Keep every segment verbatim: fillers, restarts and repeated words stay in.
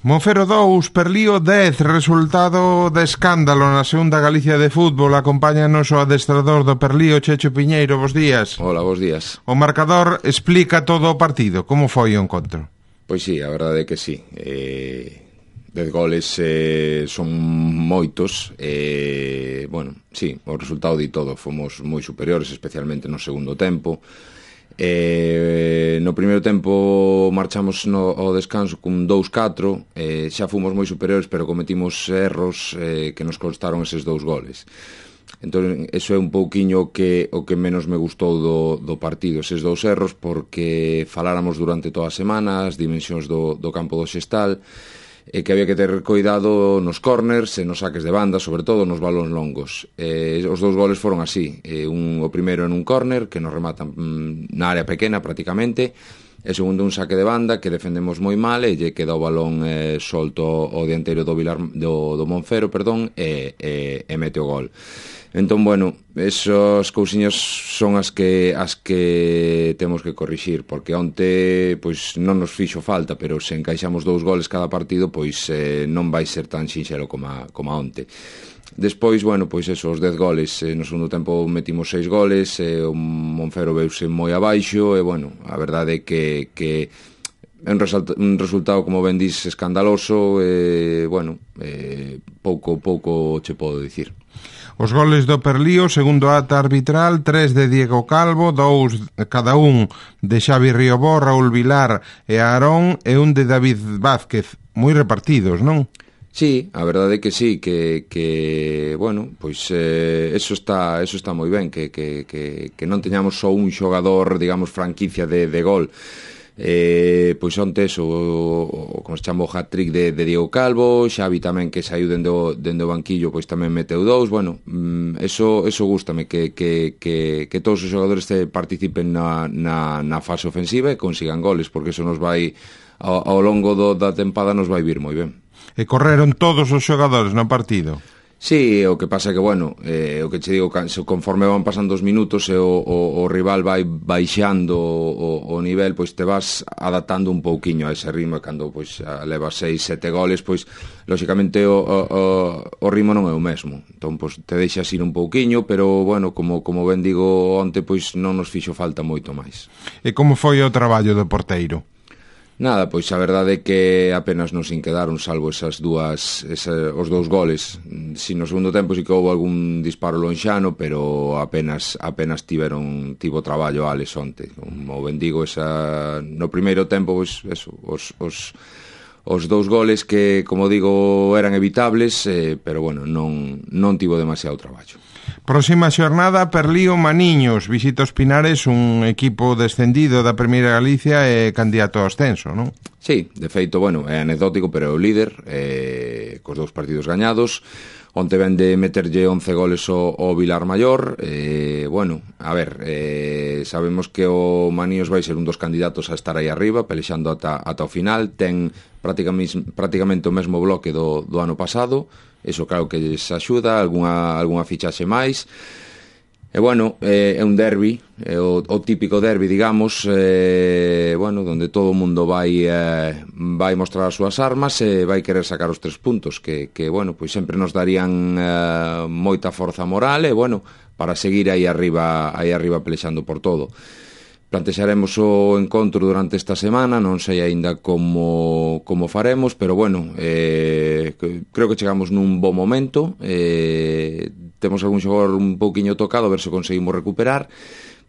Monfero dous, Perlío dez, resultado de escándalo na segunda Galicia de fútbol. Acompáñanos o adestrador do Perlío, Checho Piñeiro, bos días. Hola, bos días. O marcador explica todo o partido, como foi o encontro? Pois sí, a verdade é que sí. Eh, dez goles eh, son moitos. Eh, bueno, sí, o resultado di todo. Fomos moi superiores, especialmente no segundo tempo. Eh, no primeiro tempo marchamos no, ao descanso con dous catro, eh, xa fomos moi superiores, pero cometimos erros eh, que nos costaron eses dous goles. Entón, eso é un pouquiño que, o que menos me gustou do, do partido, eses dous erros, porque faláramos durante toda a semana as dimensións do, do campo do Xestal, e que había que ter cuidado nos corners e nos saques de banda, sobre todo nos balóns longos. Eh, os dous goles foron así, eh, un, o primeiro en un corner, que nos rematan mm, na área pequena prácticamente, e segundo un saque de banda que defendemos moi mal e lle queda o balón eh, solto ao dianteiro do, Vilar, do, do Monfero, perdón, e, e, e mete o gol. Entón, bueno, esas cousiñas son as que as que temos que corrixir, porque onte pois non nos fixo falta, pero se encaixamos dous goles cada partido, pois eh, non vai ser tan sinxelo como a, como a onte. Despois, bueno, pois eso, os dez goles, eh, no segundo tempo metimos seis goles, eh, o Monfero veuse moi abaixo, e bueno, a verdade é que, que é un, un resultado, como ben dis, escandaloso, e, bueno, eh, pouco, pouco che podo dicir. Os goles do Perlío, segundo ata arbitral, tres de Diego Calvo, dous cada un de Xavi Riobó, Raúl Vilar e Aarón, e un de David Vázquez, moi repartidos, non? Sí, a verdade é que sí, que, que bueno, pois eh, eso está eso está moi ben, que, que, que, que non teñamos só un xogador, digamos, franquicia de, de gol. Eh, pois onte eso, o, o, como se chama, o hat-trick de, de Diego Calvo, Xavi tamén, que saiu dende o, dende o banquillo, pois tamén meteu dous. Bueno, mm, eso, eso gústame, que, que, que, que todos os xogadores te participen na, na, na fase ofensiva e consigan goles, porque eso nos vai ao, ao longo do, da tempada nos vai vir moi ben. E correron todos os xogadores no partido? Sí, o que pasa é que, bueno, eh, o que che digo, conforme van pasando os minutos e o, o, o rival vai baixando o, o nivel, pois te vas adaptando un pouquiño a ese ritmo, e cando pois levas seis, sete goles, pois lóxicamente o, o, o ritmo non é o mesmo. Entón, pois te deixas ir un pouquiño, pero, bueno, como, como ben digo onte, pois non nos fixo falta moito máis. E como foi o traballo do porteiro? Nada, pois a verdade é que apenas nos inquedaron, salvo esas dúas, esa, os dous goles. Si no segundo tempo si que houve algún disparo lonxano, pero apenas apenas tiveron tivo traballo Alex onte. Como ben digo, esa, no primeiro tempo, pois, eso, os, os, os dous goles que, como digo, eran evitables, eh, pero bueno, non, non tivo demasiado traballo. Próxima xornada, Perlío Maniños, visita os Pinares, un equipo descendido da Primeira Galicia e candidato ao ascenso, non? Sí, de feito, bueno, é anecdótico, pero é o líder, eh, cos dous partidos gañados. Onte ven de meterlle once goles ao, ao Vilar Maior. Eh, bueno, a ver, eh, sabemos que o Maniños vai ser un dos candidatos a estar aí arriba, pelexando ata, ata o final. Ten prácticamente, prácticamente o mesmo bloque do, do ano pasado. Eso claro que lles axuda, algunha, algunha fichaxe máis. E bueno, eh, é un derbi, é o, o típico derbi, digamos, eh, bueno, donde todo o mundo vai eh, vai mostrar as súas armas e vai querer sacar os tres puntos, que, que bueno, pois sempre nos darían eh, moita forza moral e, bueno, para seguir aí arriba, aí arriba pelexando por todo. Plantexaremos o encontro durante esta semana, non sei aínda como, como faremos, pero bueno, eh, creo que chegamos nun bo momento, eh, temos algún xogador un pouquiño tocado, a ver se conseguimos recuperar,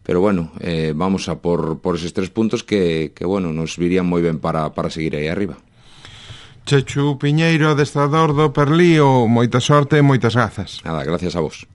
pero bueno, eh, vamos a por, por eses tres puntos que, que bueno, nos virían moi ben para, para seguir aí arriba. Chechu Piñeiro, adestrador do Perlío, moita sorte e moitas grazas. Nada, gracias a vos.